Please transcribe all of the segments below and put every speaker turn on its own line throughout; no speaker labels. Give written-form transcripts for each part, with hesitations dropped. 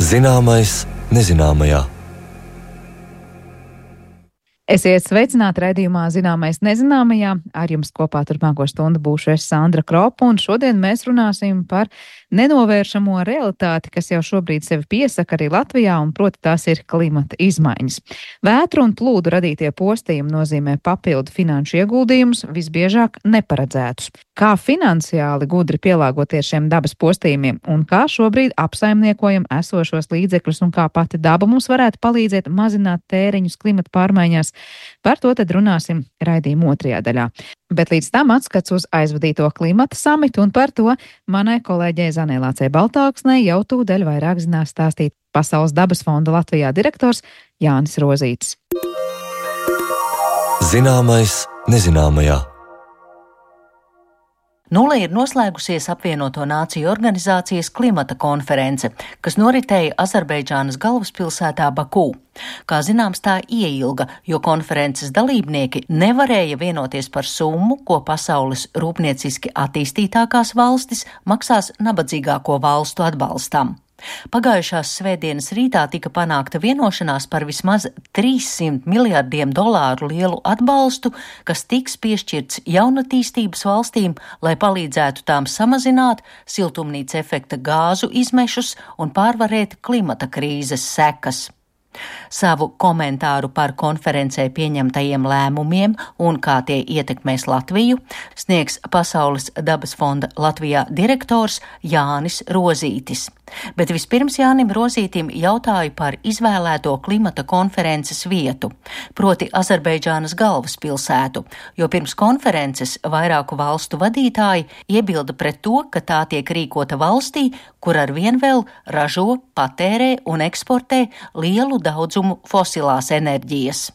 Zināmais nezināmajā.
Esiet sveicināti raidījumā Zināmais nezināmajā. Ar jums kopā turpmāko stundu būšu es, Sandra Kropa, un šodien mēs runāsim par nenovēršamo realitāti, kas jau šobrīd sevi piesaka arī Latvijā, un proti tās ir klimata izmaiņas. Vētru un plūdu radītie postījumi nozīmē papildu finanšu ieguldījumus, visbiežāk neparedzētus. Kā finansiāli gudri pielāgoties šiem dabas postījumiem, un kā šobrīd apsaimniekojam esošos līdzekļus, un kā pati daba mums varētu palīdzēt mazināt tēriņus klimata pārmaiņās. Par to tad runāsim raidījuma otrajā daļā. Bet līdz tam atskats uz aizvadīto klimata samitu, un par to manai kolēģei Zanei Lācei Baltāksnei jau tūdaļ vairāk zinās stāstīt Pasaules dabas fonda Latvijā direktors Jānis Rozītis.
Zināmais nezināmajā.
Nulle ir noslēgusies apvienoto nāciju organizācijas klimata konference, kas noritēja Azerbaidžānas galvaspilsētā Bakū. Kā zināms, tā ieilga, jo konferences dalībnieki nevarēja vienoties par summu, ko pasaules rūpnieciski attīstītākās valstis maksās nabadzīgāko valstu atbalstam. Pagājušās svētdienas rītā tika panākta vienošanās par vismaz $300 miljardiem lielu atbalstu, kas tiks piešķirts jaunatīstības valstīm, lai palīdzētu tām samazināt siltumnīca efekta gāzu izmešus un pārvarēt klimata krīzes sekas. Savu komentāru par konferencē pieņemtajiem lēmumiem un kā tie ietekmēs Latviju sniegs Pasaules dabas fonda Latvijā direktors Jānis Rozītis. Bet vispirms Jānim Rozītim jautāju par izvēlēto klimata konferences vietu, proti Azerbaidžānas galvaspilsētu, jo pirms konferences vairāku valstu vadītāji iebilda pret to, ka tā tiek rīkota valstī, kur arvien vēl ražo, patērē un eksportē lielu daudzumu fosilās enerģijas.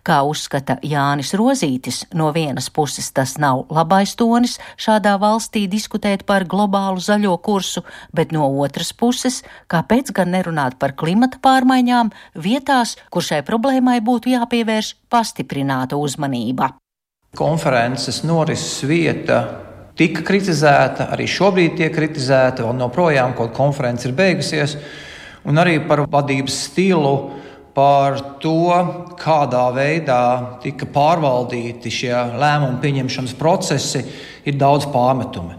Kā uzskata Jānis Rozītis, no vienas puses tas nav labais tonis šādā valstī diskutēt par globālu zaļo kursu, bet no otras puses, kāpēc gan nerunāt par klimata pārmaiņām vietās, kur šai problēmai būtu jāpievērš pastiprināta uzmanība.
Konferences norises vieta tika kritizēta, arī šobrīd tiek kritizēta, vēl joprojām, kaut konference ir beigusies, un arī par vadības stilu, par to, kādā veidā tika pārvaldīti šie lēmumu pieņemšanas procesi, ir daudz pārmetumi.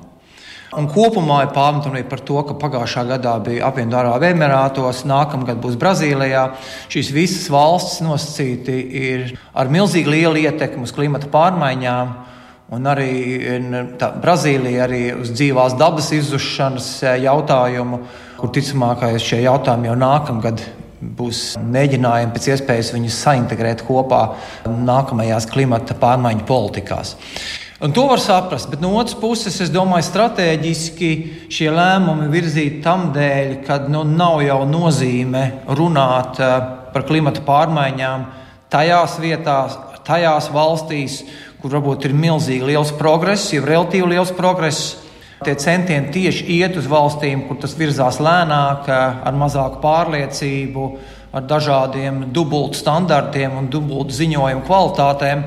Un kopumā ir pārmetumi par to, ka pagājušā gadā bija apvienotā Arābu Emirātos, nākamgad būs Brazīlijā. Šīs visas valstis nosacīti ir ar milzīgi lielu ietekmi uz klimata pārmaiņām, un arī Brazīlija arī uz dzīvās dabas izzušanas jautājumu, kur ticamākais šie jautājumi jau nākamgad būs mēģinājumi pēc iespējas viņus saintegrēt kopā nākamajās klimata pārmaiņu politikās. Un to var saprast, bet no otras puses, es domāju, stratēģiski šie lēmumi virzīt tam dēļ, kad nav jau nozīme runāt par klimata pārmaiņām tajās vietās, tajās valstīs, kur varbūt ir milzīgi liels progress, jau relatīvi liels progress. Tie centieni tieši iet uz valstīm, kur tas virzās lēnāk, ar mazāku pārliecību, ar dažādiem dubultu standartiem un dubultu ziņojumu kvalitātēm,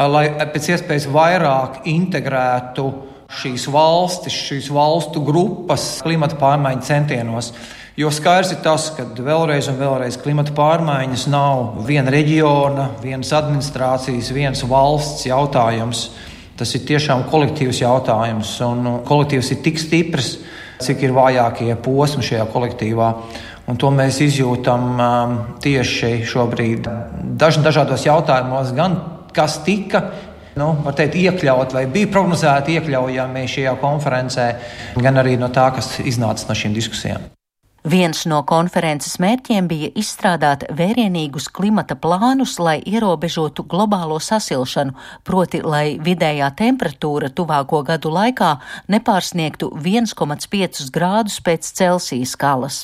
lai pēc iespējas vairāk integrētu šīs valstis, šīs valstu grupas klimata pārmaiņu centienos. Jo skaidrs ir tas, ka vēlreiz un vēlreiz klimata pārmaiņas nav viena reģiona, vienas administrācijas, vienas valsts jautājums. Tas ir tiešām kolektīvs jautājums, un kolektīvs ir tik stiprs, cik ir vājākie posmi šajā kolektīvā. Un to mēs izjūtam tieši šobrīd dažādos jautājumos, gan kas tika, var teikt, iekļaut vai bija prognozēti iekļaujami šajā konferencē, gan arī no tā, kas iznāca no šīm diskusijām.
Viens no konferences mērķiem bija izstrādāt vērienīgus klimata plānus, lai ierobežotu globālo sasilšanu, proti, lai vidējā temperatūra tuvāko gadu laikā nepārsniegtu 1,5 grādus pēc Celsija skalas.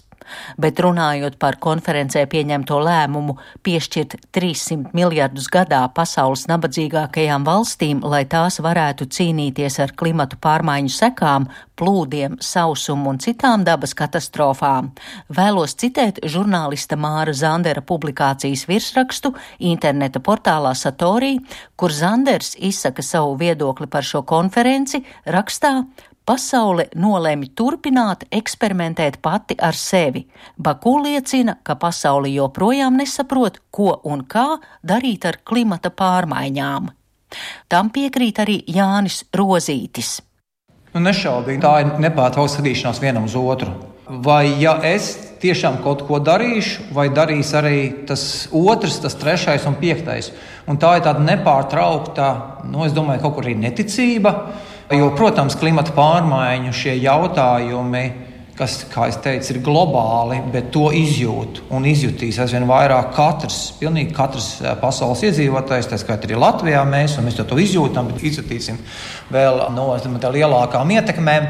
Bet runājot par konferencē pieņemto lēmumu piešķirt 300 miljardus gadā pasaules nabadzīgākajām valstīm, lai tās varētu cīnīties ar klimatu pārmaiņu sekām, plūdiem, sausumu un citām dabas katastrofām, vēlos citēt žurnālista Māra Zandera publikācijas virsrakstu interneta portālā Satorī, kur Zanders izsaka savu viedokli par šo konferenci rakstā pasaule nolēma turpināt eksperimentēt pati ar sevi. Baku liecina, ka pasaule joprojām nesaprot, ko un kā darīt ar klimata pārmaiņām. Tam piekrīt arī Jānis Rozītis.
Nešaubīgi, tā ir nepārtraukta skatīšanās vienam uz otru. Vai ja es tiešām kaut ko darīšu, vai darīs arī tas otrs, tas trešais un piektais. Un tā ir tāda nepārtraukta, es domāju, kaut kur arī neticība, jo, protams, klimata pārmaiņu šie jautājumi, kas, kā es teicu, ir globāli, bet to izjūt un izjutīs aizvien vairāk pilnīgi katrs pasaules iedzīvotājs, tā skaitā arī Latvijā mēs to izjūtam, bet izjutīsim vēl no lielākām ietekmēm.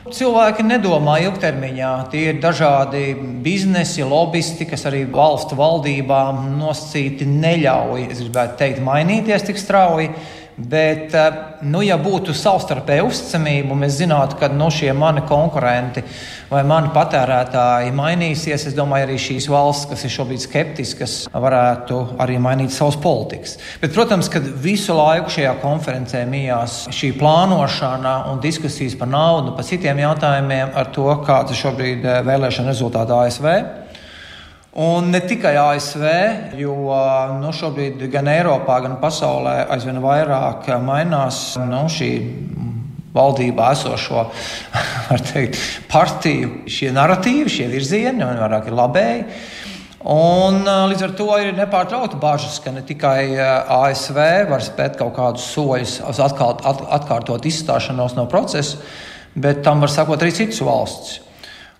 Cilvēki nedomā ilgtermiņā, tie ir dažādi biznesi, lobisti, kas arī valstu valdībām nosacīti neļauj, es gribētu teikt, mainīties tik strauji. Bet, ja būtu savstarpēja uzticamība, mēs zinātu, ka šie mani konkurenti vai mani patērētāji mainīsies, es domāju, arī šīs valsts, kas ir šobrīd skeptiskas, varētu arī mainīt savas politikas. Bet, protams, kad visu laiku šajā konferencē mijās šī plānošana un diskusijas par naudu, par citiem jautājumiem ar to, kāds ir šobrīd vēlēšana rezultāti ASV. Un ne tikai ASV, jo šobrīd gan Eiropā, gan pasaulē aizvien vairāk mainās šī valdībā esošo, var teikt, partiju, šie narratīvi, šie virzieni, un vairāk ir labēji. Un līdz ar to ir nepārtraukti bažas, ka ne tikai ASV var spēt kaut kādus soļus atkārtot izstāšanos no procesa, bet tam var sakot arī citas valsts.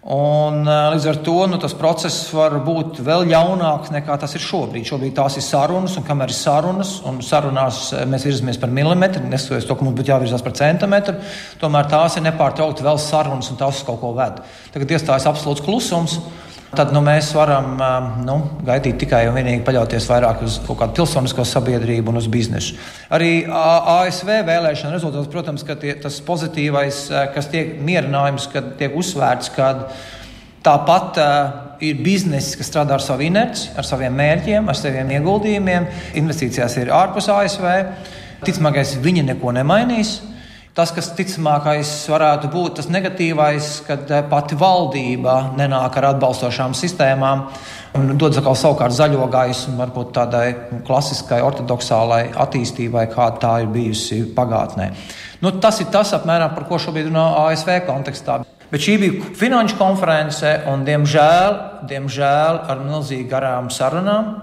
Un līdz ar to tas process var būt vēl ļaunāks nekā tas ir šobrīd. Šobrīd tās ir sarunas, un kamēr ir sarunas, un sarunās mēs virzamies par milimetru, neskatoties to, ka mums būtu jāvirzās par centimetru, tomēr tās ir nepārtraukti vēl sarunas, un tās uz kaut ko ved. Tagad iestājas absolūts klusums. Tad mēs varam gaidīt tikai un vienīgi paļauties vairāk uz kaut kādu pilsonisko sabiedrību un uz biznesu. Arī ASV vēlēšana rezultāts, protams, ka tas pozitīvais, kas tiek mierinājums, kad tiek uzsvērts, ka tāpat ir bizness, kas strādā ar savu inerci, ar saviem mērķiem, ar saviem ieguldījumiem. Investīcijās ir ārpus ASV. Ticamākais, viņi neko nemainīs. Tas, kas ticamākais varētu būt tas negatīvais, kad pati valdība nenāk ar atbalstošām sistēmām un dod savukārt zaļo gaismu varbūt tādai klasiskai, ortodoksālai attīstībai, kāda tā ir bijusi pagātnē. Tas ir tas apmēram, par ko šobrīd runā ASV kontekstā. Bet šī bija finanšu konference un, diemžēl ar milzīgi garām sarunām,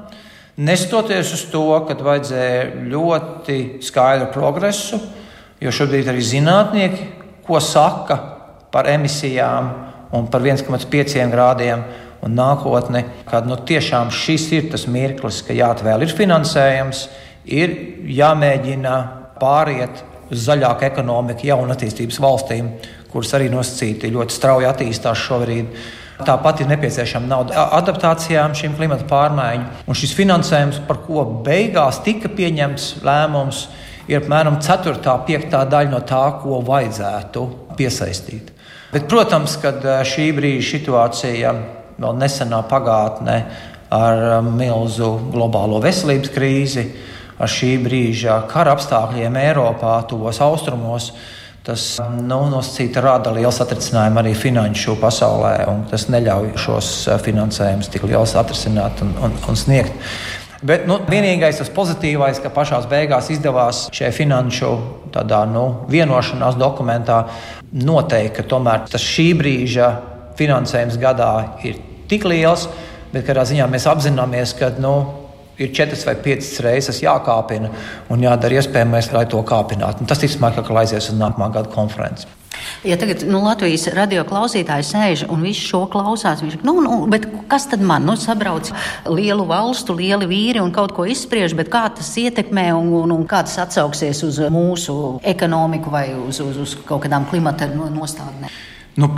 nestoties uz to, kad vajadzēja ļoti skaidru progresu. Jo šobrīd arī zinātnieki, ko saka par emisijām un par 1,5 grādiem un nākotni, kad tiešām šis ir tas mirklis, ka jāatvēl ir finansējums, ir jāmēģina pāriet uz zaļāku ekonomiku jaunatīstības valstīm, kuras arī nosacīti ļoti strauji attīstās šobrīd. Tāpat ir nepieciešama nauda adaptācijām šīm klimata pārmaiņu. Un šis finansējums, par ko beigās tika pieņemts lēmums, ir apmēram 4/5 daļa no tā, ko vajadzētu piesaistīt. Bet, protams, kad šī brīža situācija, vēl nesenā pagātne ar milzu globālo veselības krīzi, ar šī brīža kara apstākļiem Eiropā, tuvos austrumos, tas nosacīti rada lielu satricinājumu arī finanšu pasaulē, un tas neļauj šos finansējumus tik liels atrisināt un sniegt. Bet vienīgais tas pozitīvais, ka pašās beigās izdevās šajā finanšu vienošanās dokumentā noteikt, ka tomēr tas šī brīža finansējums gadā ir tik liels, bet kādā ziņā mēs apzināmies, ka ir 4 vai 5 reizes jākāpina un jādara iespējamais, lai to kāpinātu. Tas ticamāk, ka aizies uz nākamā gada konferenci.
Ja tagad Latvijas radio klausītāji sēž un visu šo klausās, viņš bet kas tad man? Sabrauc lielu valstu, lieli vīri un kaut ko izspriež, bet kā tas ietekmē un kā tas atsauksies uz mūsu ekonomiku vai uz kaut kādām klimata nostādnēm?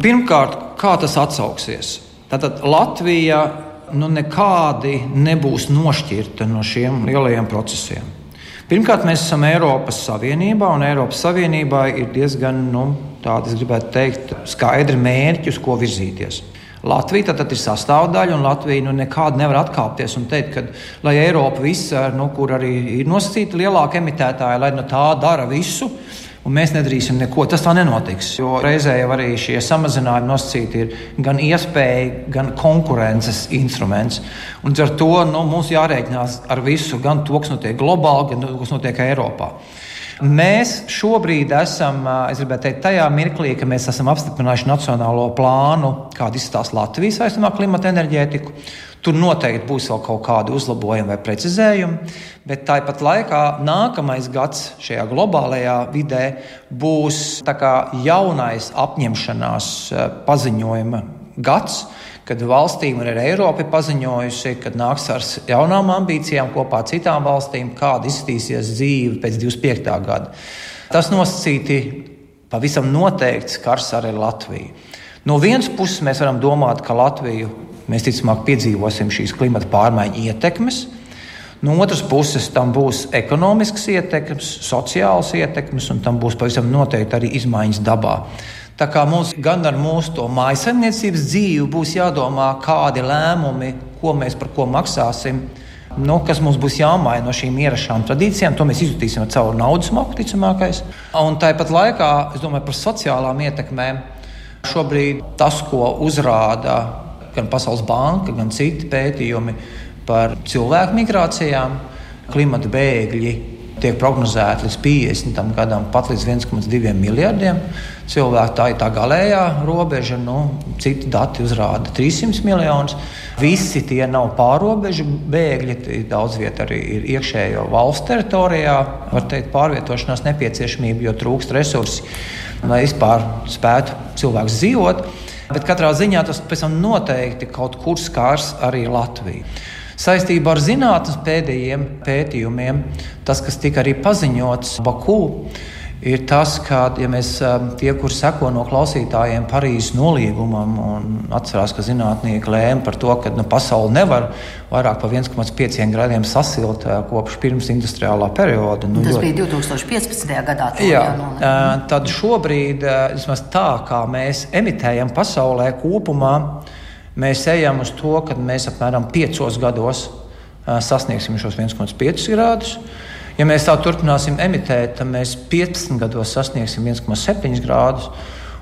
Pirmkārt, kā tas atsauksies? Tātad Latvija nekādi nebūs nošķirta no šiem lielajiem procesiem. Pirmkārt, mēs esam Eiropas Savienībā, un Eiropas Savienībā ir diezgan, tādi, es gribētu teikt, skaidri mērķi, uz ko virzīties. Latvija tad ir sastāvdaļa, un Latvija nekādi nevar atkāpties un teikt, ka, lai Eiropa visa, kur arī ir nosacīta lielāka emitētāja, lai tā dara visu, un mēs nedarīsim neko. Tas tā nenotiks, jo reizē jau arī šie samazinājumi nosacīti ir gan iespēja, gan konkurences instruments. Un ar to mums jārēķinās ar visu, gan to, kas notiek globāli, gan to, kas notiek Eiropā. Mēs šobrīd esam, es gribētu teikt, tajā mirklī, ka mēs esam apstiprinājuši nacionālo plānu, kāda izskatās Latvijas saistībā ar klimata enerģētiku. Tur noteikti būs vēl kaut kādi uzlabojumi vai precizējumi, bet tāpat laikā nākamais gads šajā globālajā vidē būs tā kā jaunais apņemšanās paziņojuma gads, kad valstīm un arī Eiropa ir paziņojusi, kad nāks ar jaunām ambīcijām kopā ar citām valstīm, kāda izskatīsies dzīve pēc 25. gada. Tas nosacīti pavisam noteikti skars arī Latviju. No vienas puses mēs varam domāt, ka Latviju mēs ticamāk piedzīvosim šīs klimata pārmaiņu ietekmes. No otras puses tam būs ekonomiskas ietekmes, sociālas ietekmes, un tam būs pavisam noteikti arī izmaiņas dabā. Tā kā mums gan ar mūsu to mājasemniecības dzīvi būs jādomā, kādi lēmumi, ko mēs par ko maksāsim, kas mums būs jāmaina no šīm ierašām tradīcijām, to mēs izjutīsim ar caur naudas maku, ticamākais. Un tāpat laikā, es domāju par sociālām ietekmēm, šobrīd tas, ko uzrāda gan Pasaules banka, gan citi pētījumi par cilvēku migrācijām, klimata bēgļi tiek prognozēti līdz 50. gadam pat līdz 1,2 miljardiem cilvēku. Tā ir tā galējā robeža, citi dati uzrāda 300 miljonus. Visi tie nav pārrobežu bēgļi, daudz vieta arī ir iekšējo valsts teritorijā, var teikt, pārvietošanās nepieciešamība, jo trūkst resursi, lai vispār spētu cilvēks dzīvot. Bet katrā ziņā tas pēc tam noteikti kaut kur skars arī Latviju. Saistībā ar zinātnes pēdējiem pētījumiem, tas, kas tika arī paziņots Baku, ir tas, ka, ja mēs tie, kur seko no klausītājiem Parīzes nolīgumam un atcerās, ka zinātnieki lēma par to, ka pasaule nevar vairāk par 1,5 grādiem sasilt kopš pirms industriālā perioda.
Tas bija 2015. gadā.
Tad šobrīd, vismaz tā, kā mēs emitējam pasaulē kopumā, mēs ejam uz to, ka mēs apmēram 5 gados sasniegsim šos 1,5 grādus. Ja mēs tā turpināsim emitēt, tad mēs 15 gados sasniegsim 1,7 grādus.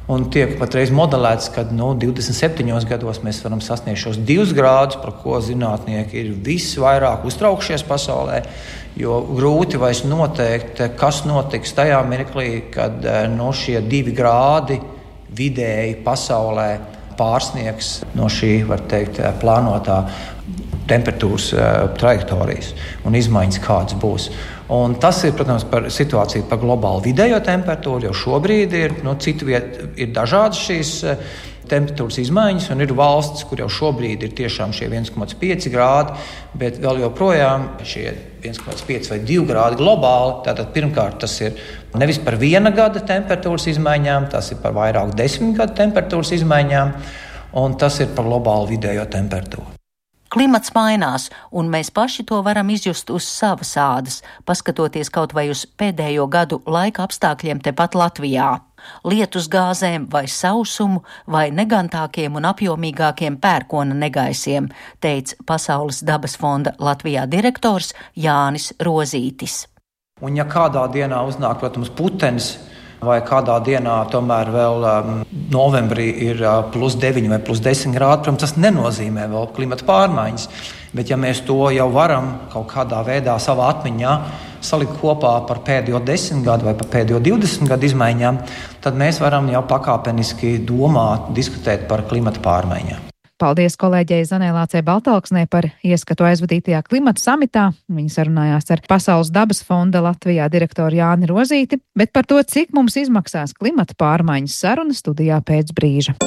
Un tiek patreiz modelēts, ka 27 gados mēs varam sasniegt šos 2 grādus, par ko zinātnieki ir visvairāk uztraukšies pasaulē. Jo grūti vairs noteikt, kas notiks tajā mirklī, kad šie 2 grādi vidēji pasaulē pārsniegs no šī, var teikt, plānotā temperatūras trajektorijas un izmaiņas kādas būs. Un tas ir, protams, par situāciju par globālu vidējo temperatūru, jo šobrīd ir, citu vietu ir dažādas šīs temperatūras izmaiņas, un ir valsts, kur jau šobrīd ir tiešām šie 1,5 grādi, bet vēl joprojām šie 1,5 vai 2 grādi globāli. Tātad pirmkārt tas ir nevis par 1 gada temperatūras izmaiņām, tas ir par vairāk 10 gadu temperatūras izmaiņām, un tas ir par globālu vidējo temperatūru.
Klimats mainās, un mēs paši to varam izjust uz savas ādas, paskatoties kaut vai uz pēdējo gadu laika apstākļiem tepat Latvijā. Lietusgāzēm vai sausumu vai negantākiem un apjomīgākiem pērkona negaisiem, teica Pasaules dabas fonda Latvijā direktors Jānis Rozītis.
Un ja kādā dienā uznāk, protams, putenis, vai kādā dienā tomēr vēl novembrī ir +9 vai +10 grādi, protams, tas nenozīmē vēl klimata pārmaiņas. Bet ja mēs to jau varam kaut kādā veidā savā atmiņā salikt kopā par pēdējo 10 gadu vai par pēdējo 20 gadu izmaiņām, tad mēs varam jau pakāpeniski domāt, diskutēt par klimata pārmaiņām.
Paldies kolēģei Zanē Lācei Baltalksnē par ieskatu aizvadītajā klimata samitā. Viņa sarunājās ar Pasaules dabas fonda Latvijā direktoru Jāni Rozīti, bet par to, cik mums izmaksās klimata pārmaiņas, saruna studijā pēc brīža.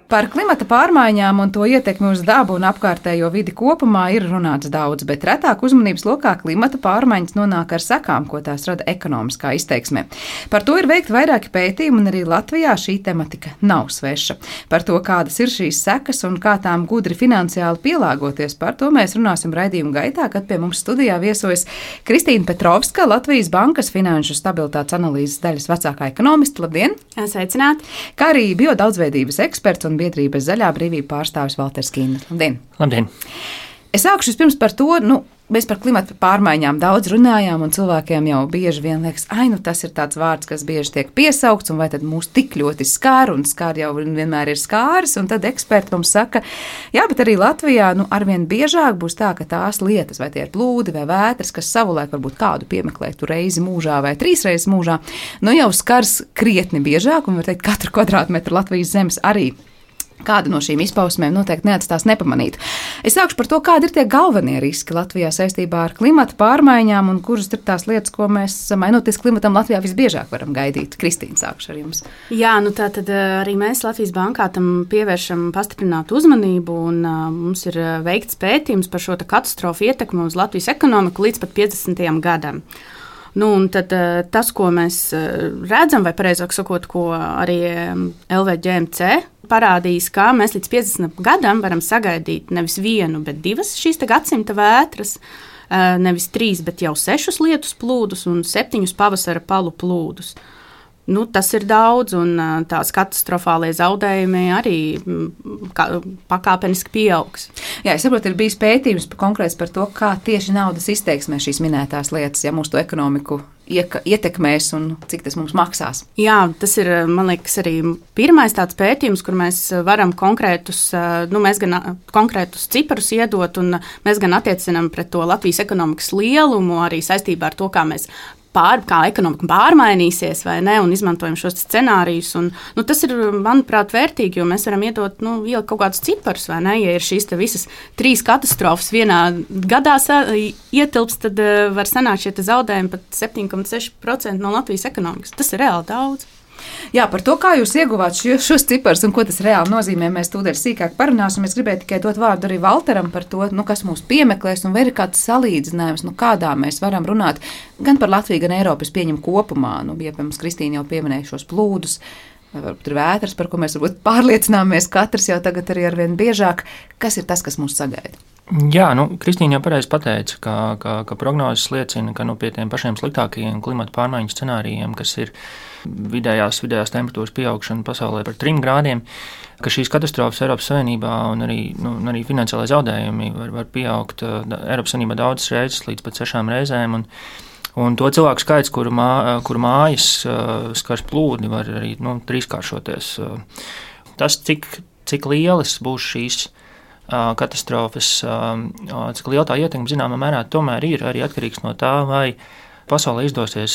Par klimata pārmaiņām un to ietekmi uz dabu un apkārtējo vidi kopumā ir runāts daudz, bet retāk uzmanības lokā klimata pārmaiņas nonāk ar sekām, ko tās rada ekonomiskā izteiksmē. Par to ir veikti vairāki pētījumi, un arī Latvijā šī tematika nav sveša. Par to, kādas ir šīs sekas un kā tām gudri finansiāli pielāgoties, par to mēs runāsim raidījuma gaitā, kad pie mums studijā viesojas Kristīna Petrovska, Latvijas Bankas finanšu stabilitātes analīzes daļas vecākā ekonomiste. Labdien!
Sveicināti!
Kā arī biodaudzveidības eksperts un biedrības Zaļā brīvība pārstāvis Valters Kīna. Labdien!
Labdien!
Es sākšu vispirms par to, Mēs par klimatu pārmaiņām daudz runājām, un cilvēkiem jau bieži vien liekas, tas ir tāds vārds, kas bieži tiek piesaukts, un vai tad mūs tik ļoti skār, un skār jau vienmēr ir skāris, un tad eksperti mums saka, jā, bet arī Latvijā arvien biežāk būs tā, ka tās lietas, vai tie ir plūdi vai vētras, kas savulaik varbūt kādu piemeklētu reizi mūžā vai 3 reizes mūžā, jau skars krietni biežāk, un var teikt, katru kvadrātmetru Latvijas zemes arī. Kāda no šīm izpausmēm noteikti neatstās nepamanīt. Es sākšu par to, kādi ir tie galvenie riski Latvijā saistībā ar klimata pārmaiņām un kuras ir tās lietas, ko mēs, mainoties klimatam, Latvijā visbiežāk varam gaidīt. Kristīna, sākšu ar jums.
Jā, tātad arī mēs Latvijas bankā tam pievēršam pastiprinātu uzmanību, un mums ir veikts pētījums par šo katastrofu ietekmi uz Latvijas ekonomiku līdz pat 50. gadam. Un tad tas, ko mēs redzam, vai pareizāk sakot, ko arī LVGMC parādījis, ka mēs līdz 50 gadam varam sagaidīt nevis 1, bet 2 šīs gadsimta vētras, nevis 3, bet jau 6 lietus plūdus un 7 pavasara palu plūdus. Tas ir daudz, un tās katastrofālie zaudējumi arī pakāpeniski pieaugs.
Jā, es saprotu, ir bijis pētījums konkrēts par to, kā tieši naudas izteiksmē šīs minētās lietas, ja mūsu to ekonomiku ietekmēs un cik tas mums maksās.
Jā, tas ir, man liekas, arī pirmais tāds pētījums, kur mēs varam konkrētus ciparus iedot, un mēs gan attiecinām pret to Latvijas ekonomikas lielumu, arī saistībā ar to, kā mēs kā ekonomika pārmainīsies vai ne, un izmantojam šos scenārijus. Tas ir, manuprāt, vērtīgi, jo mēs varam iedot ielikt kaut kādus ciparus, vai ne? Ja ir šīs visas 3 katastrofas vienā gadā ietilps, tad var sanākt šie zaudējumi pat 7,6% no Latvijas ekonomikas. Tas ir reāli daudz.
Jā, par to, kā jūs ieguvāt šos ciparus un ko tas reāli nozīmē, mēs tūdaļ sīkāk parunāsim. Es gribēju tikai dot vārdu arī Valteram par to, kas mūs piemeklēs, un vai ir kāds salīdzinājums, kādā mēs varam runāt gan par Latviju, gan Eiropas pieņem kopumā. Piemēram, Kristīna jau pieminēja šos plūdus, vai varbūt ir vētras, par ko mēs varbūt pārliecināmies katrs jau tagad arī arvien biežāk. Kas ir tas, kas mūs sagaida?
Jā, Kristīna jau pareizi pateica, ka prognozes liecina, ka pie tiem pašiem sliktākajiem klimata pārmaiņu scenārijiem, kas ir vidējās temperatūras pieaugšana pasaulē par 3 grādiem, ka šīs katastrofas Eiropas Savienībā un arī finansiālai zaudējumi var pieaugt Eiropas Savienībā daudzas reizes līdz pat 6 reizēm. Un to cilvēku skaits, kuru mājas skars plūdi, var arī 3-kāršoties. Tas, cik lielas būs šīs katastrofas, cik liela tā ietekme zināmā mērā tomēr ir arī atkarīgs no tā, vai pasaulē izdosies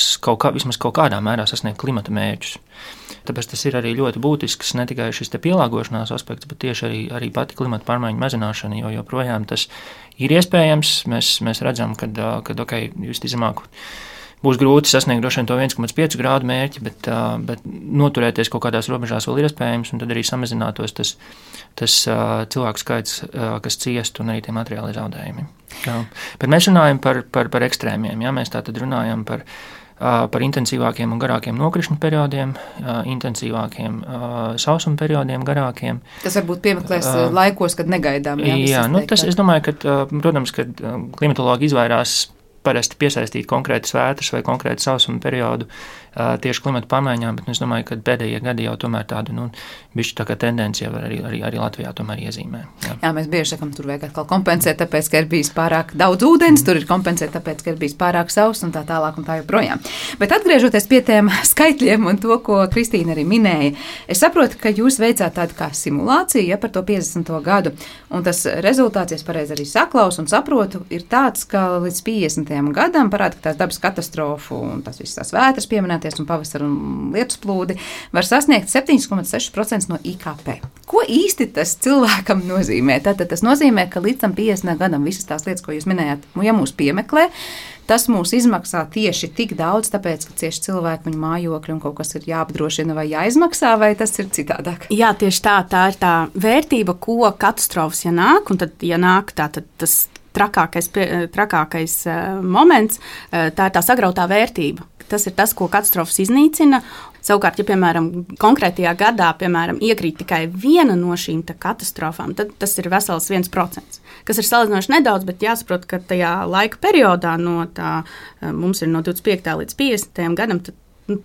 vismaz kaut kādā mērā sasniegt klimata mērķus. Tāpēc tas ir arī ļoti būtisks ne tikai šis pielāgošanās aspekts, bet tieši arī pati klimata pārmaiņu mazināšana, jo joprojām tas ir iespējams. Mēs redzam, ka visticamāk būs grūti sasniegt droši vien to 1,5 grādu mērķi, bet noturēties kaut kādās robežās vēl ir iespējams, un tad arī samazinātos tas cilvēku skaits, kas ciest, un arī tie materiāli zaudējumi. Bet mēs runājam par ekstrēmiem. Jā? Mēs tātad runājam par intensīvākiem un garākiem nokrišņu periodiem, intensīvākiem sausuma periodiem, garākiem.
Tas varbūt piemeklēs laikos, kad negaidām.
Jā, es domāju, ka, protams, kad klimatologi izvairās parasti piesaistīt konkrētas vētras vai konkrētu sausuma periodu tieši klimata pārmaiņām, bet es domāju, ka pēdējie gadi jau tomēr tādu bišķi tā kā tendencija var arī Latvijā tomēr iezīmē.
Jā, mēs bieži sakam, tur vajag atkal kompensēt, tāpēc, ka ir bijis pārāk daudz ūdens, tur ir kompensēt, tāpēc, ka ir bijis pārāk sauss un tā tālāk un tā joprojām. Bet atgriežoties pie tiem skaitļiem un to, ko Kristīna arī minēja, es saprotu, ka jūs veicāt tādu kā simulāciju par to 50. gadu, un tas rezultāts, ja es pareizi arī saklausu un saprotu, ir tāds, ka līdz 50. gadam parāda, ka tās dabas katastrofu un tas visas tās vētras pieminēties un pavasara un lietus plūdi var sasniegt 7,6% no IKP. Ko īsti tas cilvēkam nozīmē? Tātad tas nozīmē, ka līdz tam 50. gadam visas tās lietas, ko jūs minējāt, ja mūs piemeklē, tas mūs izmaksā tieši tik daudz, tāpēc, ka cieši cilvēki, viņu mājokļi un kaut kas ir jāapdrošina vai jāizmaksā, vai tas ir citādāk?
Jā, tieši tā ir tā vērtība, ko katastrofas, ja nāk, un tad, ja nāk, tad tas trakākais moments, tā ir tā sagrautā vērtība. Tas ir tas, ko katastrofas iznīcina. Savukārt, ja, piemēram, konkrētajā gadā, iekrīt tikai viena no šīm katastrofām, tad tas ir vesels 1%, kas ir salīdzinoši nedaudz, bet jāsaprot, ka tajā laika periodā mums ir no 25. līdz 50. gadam, tad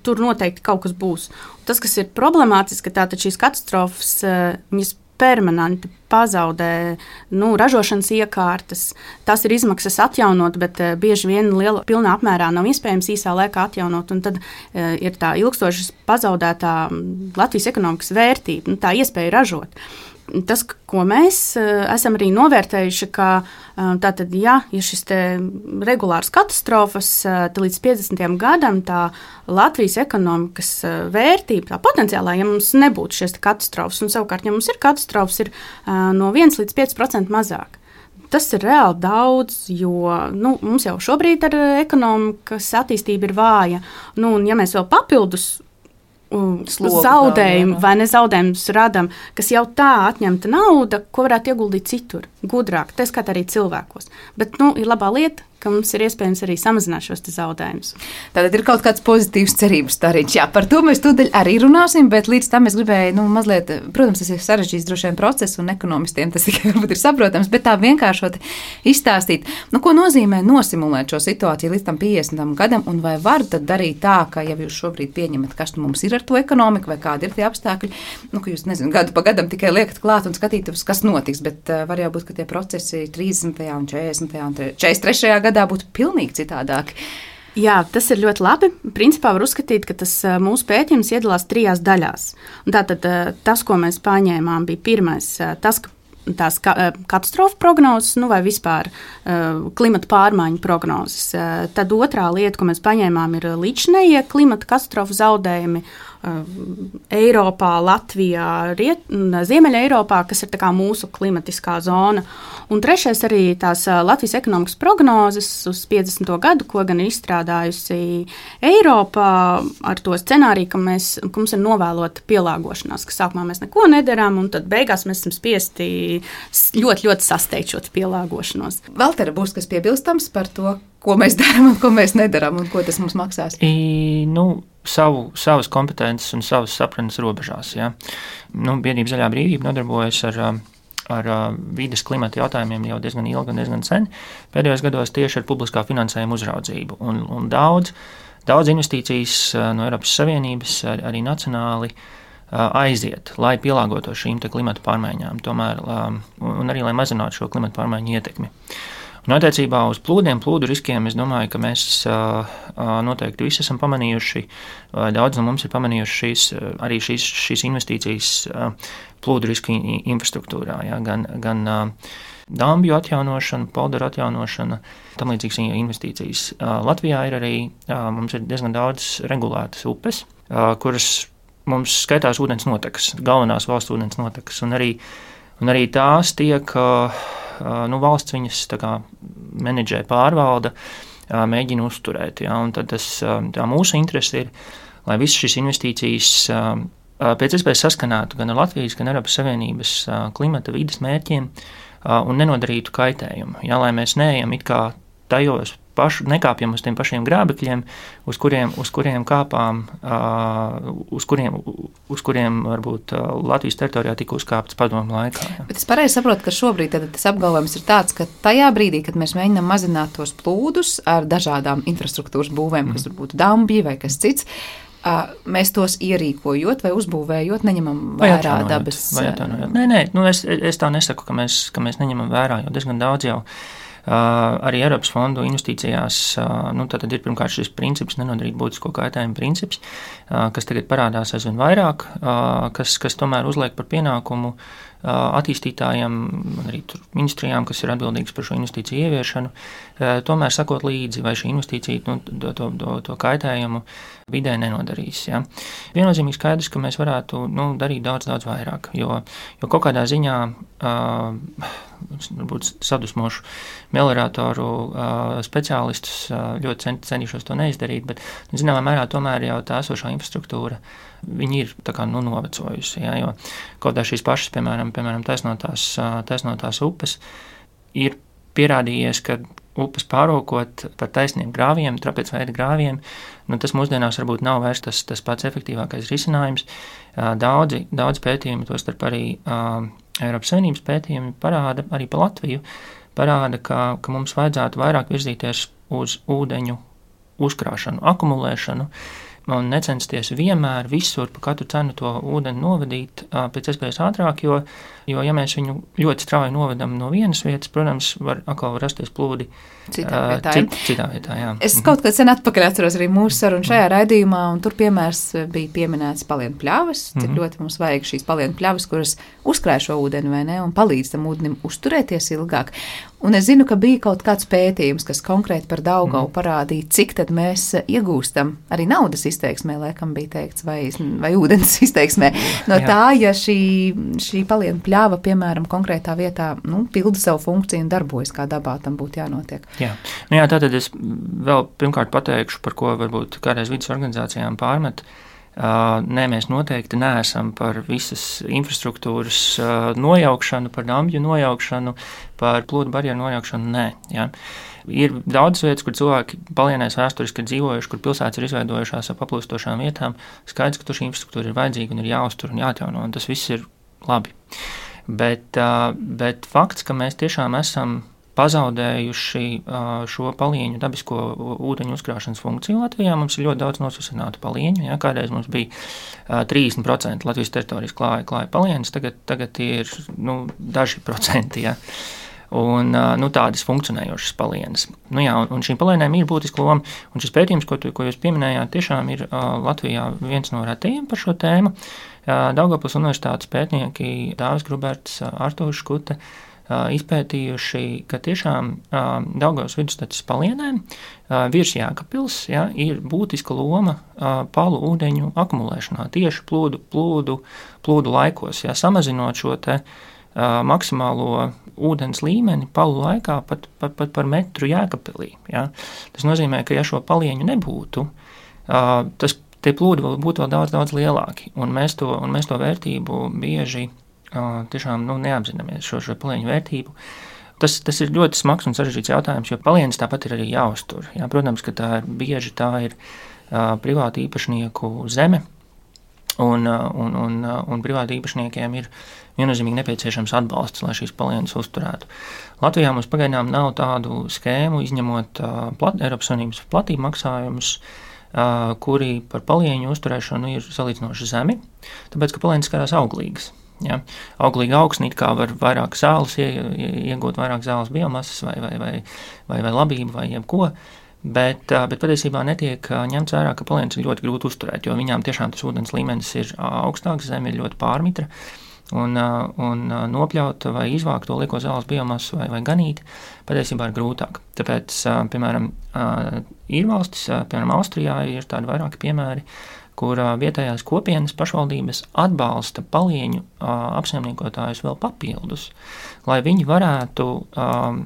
tur noteikti kaut kas būs. Un tas, kas ir problemātiski, tātad šīs katastrofas, viņas permanenti pazaudē ražošanas iekārtas. Tas ir izmaksas atjaunot, bet bieži vien pilnā apmērā nav iespējams īsā laikā atjaunot. Un tad ir tā ilgstoši pazaudētā Latvijas ekonomikas vērtība, tā iespēja ražot. Tas, ko mēs esam arī novērtējuši, ka tātad, ja ir šis regulārs katastrofas, tad līdz 50. gadam tā Latvijas ekonomikas vērtība, tā potenciālā, ja mums nebūtu šīs katastrofas, un savukārt, ja mums ir katastrofas, ir no 1 līdz 5% mazāk. Tas ir reāli daudz, jo mums jau šobrīd ar ekonomikas attīstība ir vāja. Un ja mēs vēl papildus zaudējumu vai nezaudējumus radam, kas jau tā atņemta nauda, ko varētu ieguldīt citur, gudrāk, tā skait arī cilvēkos. Bet ir labā lieta, ka mums ir iespējams arī samazināt šos zaudējumus.
Tātad ir kaut kāds pozitīvs cerības stariņš. Jā, par to mēs tūdaļ arī runāsim, bet līdz tam es gribēju mazliet, protams, tas ir sarežģīts droši vien process, un ekonomistiem tas tikai varbūt ir saprotams, bet tā vienkāršot izstāstīt, ko nozīmē nosimulēt šo situāciju līdz tam 50. gadam, un vai var tad darīt tā, ka ja jūs šobrīd pieņemat, kas mums ir ar to ekonomiku, vai kādi ir tie apstākļi, ka jūs, gadu pa gadam tikai liekat klāt un skatītos, kas notiks, bet var jau būt, ka tie procesi 30. un 40. un 43. gadā būtu pilnīgi citādāki.
Jā, tas ir ļoti labi. Principā var uzskatīt, ka tas mūsu pētījums iedalās 3 daļās. Un tātad tas, ko mēs paņēmām, bija pirmais, tas, ka tās katastrofu prognozes, vai vispār klimata pārmaiņu prognozes. Tad otrā lieta, ko mēs paņēmām, ir līdzinējie klimata katastrofu zaudējumi Eiropā, Latvijā, Ziemeļa Eiropā, kas ir tā kā mūsu klimatiskā zona. Un trešais arī tās Latvijas ekonomikas prognozes uz 50. gadu, ko gan ir izstrādājusi Eiropā ar to scenāriju, ka mums ir novēlota pielāgošanās, ka sākumā mēs neko nedarām, un tad beigās mēs esam spiesti ļoti, ļoti sasteigt šo pielāgošanos.
Valtera, būs kas piebilstams par to, ko mēs darām un ko mēs nedarām, un ko tas mums maksās?
Savas kompetences un savas sapratnes robežās. Ja. Biedrība Zaļā brīvība nodarbojas ar vides klimata jautājumiem jau diezgan ilgi un diezgan sen. Pēdējos gados tieši ar publiskā finansējuma uzraudzību. Un daudz investīcijas no Eiropas Savienības arī nacionāli aiziet, lai pielāgotos šīm klimata pārmaiņām, tomēr, un arī lai mazinātu šo klimata pārmaiņu ietekmi. Un attiecībā uz plūdu riskiem, es domāju, ka mēs noteikti visi esam pamanījuši, daudz no mums ir pamanījuši šīs investīcijas plūdu risku infrastruktūrā, ja, gan dambju atjaunošana, polderu atjaunošana, tam līdzīgas investīcijas. Latvijā ir arī, mums ir diezgan daudz regulētas upes, kuras mums skaitās ūdens notekas, galvenās valsts ūdens notekas, un arī tās tiek valsts viņas menedžē, pārvalda, mēģina uzturēt. Ja, un tad tā mūsu interese ir, lai visas šīs investīcijas pēc iespējas saskanētu gan ar Latvijas, gan Eiropas Savienības klimata vides mērķiem un nenodarītu kaitējumu. Ja, lai mēs neejam it kā tajos nekāpjam uz tiem pašiem grābekļiem, uz kuriem kāpām, uz kuriem varbūt Latvijas teritorijā tika uzkāptas padomu laikā. Ja.
Bet es pareizi saprotu, ka šobrīd tas apgalvojums ir tāds, ka tajā brīdī, kad mēs mēģinām mazināt tos plūdus ar dažādām infrastruktūras būvēm, kas varbūt dambji vai kas cits, mēs tos ierīkojot vai uzbūvējot, neņemam vērā dabas.
Nē, es tā nesaku, ka mēs neņemam vērā, jo diezgan daudz jau arī Eiropas fondu investīcijās tad ir pirmkārt šis princips, nenodarīt būtisko kaitējumu princips, kas tagad parādās aizvien vairāk, kas tomēr uzliek par pienākumu attīstītājiem, arī ministrijām, kas ir atbildīgas par šo investīciju ieviešanu, tomēr sakot līdzi, vai šī investīcija to kaitējumu vidē nenodarīs. Ja. Viennozīmīgi skaidrs, ka mēs varētu darīt daudz vairāk, jo kaut kādā ziņā varbūt sadusmošu melioratoru speciālistus ļoti cenšos to neizdarīt, bet zināmā mērā tomēr jau tā esošā infrastruktūra viņi ir tā kā novecojusi, ja, jo kaut kā šīs pašas, piemēram taisnotās upes ir pierādījies, ka upes pārokot par taisniem grāviem, trapēc veida grāviem, tas mūsdienās varbūt nav vairs tas pats efektīvākais risinājums. Daudz pētījumi, tostarp arī Eiropas Savienības pētījumi parāda, arī pa Latviju, parāda, ka mums vajadzētu vairāk virzīties uz ūdeņu uzkrāšanu, akumulēšanu, un necensties vienmēr visur pa katru cenu to ūdeni novadīt pēc iespējas ātrāk, jo ja mēs viņu ļoti strauji novedam no vienas vietas, protams, var rasties plūdi citā vietā, jā.
Es kaut kad sen atpakaļ atceros arī mūsu sarunu šajā raidījumā, un tur piemērs bija pieminēts palienu pļavas, cik ļoti mums vajag šīs palienu pļavas, kuras uzkrāj šo ūdeni, vai ne, un palīdz tam ūdenim uzturēties ilgāk. Un es zinu, ka bija kaut kāds pētījums, kas konkrēti par Daugavu parādīja, cik tad mēs iegūstam, arī naudas izteiksmē, laikam bija teikts, vai ūdens izteiksmē, no tā, ja šī palienu pļava, piemēram, konkrētā vietā, pilda savu funkciju un darbojas, kā dabā tam būtu jānotiek.
Jā, tātad es vēl pirmkārt pateikšu, par ko varbūt kādreiz vidas organizācijām pārmet. Nē, mēs noteikti neesam par visas infrastruktūras nojaukšanu, par dambju nojaukšanu, par plūdu barjeru nojaukšanu, nē. Jā. Ir daudz vietas, kur cilvēki palienēs vēsturiski ir dzīvojuši, kur pilsētas ir izveidojušās ar paplūstošām vietām. Skaidrs, ka tur šī infrastruktūra ir vajadzīga un ir jāuztur un jāatjauno, un tas viss ir labi. Bet fakts, ka mēs tiešām esam pazaudējuši šo palieņu dabisko ūdeņu uzkrāšanas funkciju Latvijā. Mums ir ļoti daudz nosasinātu palieņu. Ja? Kādreiz mums bija 30% Latvijas teritorijas klāja palieņas, tagad ir daži procenti. Ja? Un tādas funkcionējošas palienas. Un šīm palienēm ir būtiska loma. Un šis pētījums, ko jūs pieminējāt, tiešām ir Latvijā viens no retajiem par šo tēmu. Daugavpils universitātes pētnieki Dāvis Gruberts, Artūrs Škute izpētījuši, ka tiešām Daugavas vidusceļa palienēm virs Jēkabpils ir būtiska loma palu ūdeņu akumulēšanā tieši plūdu laikos, samazinot šo te maksimālo ūdens līmeni palu laikā pat par metru Jēkabpilī. Ja? Tas nozīmē, ka ja šo palieņu nebūtu, tie plūdi būtu vēl daudz, daudz lielāki, un mēs to vērtību bieži tiešām neapzināmies šo palieņu vērtību. Tas ir ļoti smags un sarežģīts jautājums, jo palienis tāpat ir arī jāuztur. Jā, protams, ka tā ir privāti īpašnieku zeme, un privāti īpašniekiem ir viennozīmīgi nepieciešams atbalsts, lai šīs palienas uzturētu. Latvijā mums pagaidām nav tādu skēmu, izņemot Eiropas Savienības platību maksājumus, kuri par palieņu uzturēšanu ir salīdzinoši zemi, tāpēc, ka palienis skarās auglīgas. Ja? Auglīga augsne it kā var vairāk zāles iegūt, vairāk zāles biomasas vai labību vai jebko, bet patiesībā netiek ņemts vērā, ka palienis ir ļoti grūti uzturēt, jo viņām tiešām tas ūdens līmenis ir augstāks, zeme ir ļoti pārmitra, un nopļaut vai izvākt to lieko zāles biomasu vai ganīt patiesībā ir grūtāk. Tāpēc, piemēram, ir valstis, piemēram, Austrijā ir tādi vairāki piemēri, kur vietējās kopienas pašvaldības atbalsta palieņu apsaimniekotājus vēl papildus, lai viņi varētu,